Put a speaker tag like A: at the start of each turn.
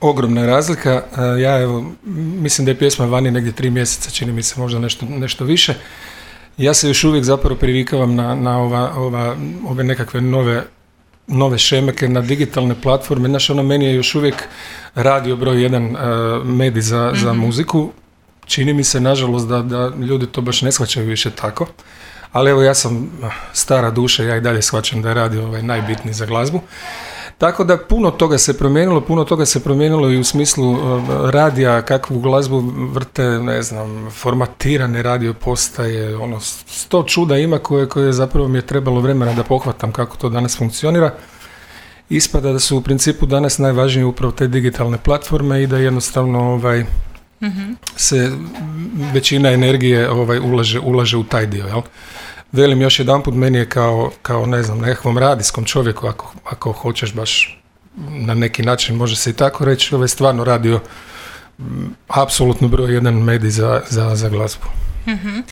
A: ogromna je razlika. Ja evo, mislim da je pjesma vani negdje 3 mjeseca, čini mi se možda nešto više. Ja se još uvijek zapravo privikavam na ove nekakve nove šemeke, na digitalne platforme. Znaš, meni je još uvijek radio broj 1 medij za muziku. Čini mi se, nažalost, da ljudi to baš ne shvaćaju više tako. Ali evo, ja sam stara duša, ja i dalje shvaćam da je radio najbitniji za glazbu. Tako da puno toga se promijenilo i u smislu radija, kakvu glazbu vrte, ne znam, formatirane radio postaje, 100 čuda ima koje zapravo mi je trebalo vremena da pohvatam kako to danas funkcionira. Ispada da su u principu danas najvažnije upravo te digitalne platforme i da jednostavno se većina energije ulaže u taj dio, jel? Velim još jedanput, meni je kao ne znam, nekakvom radijskom čovjeku, ako hoćeš baš na neki način, može se i tako reći, stvarno radio apsolutno broj 1 medij za glazbu.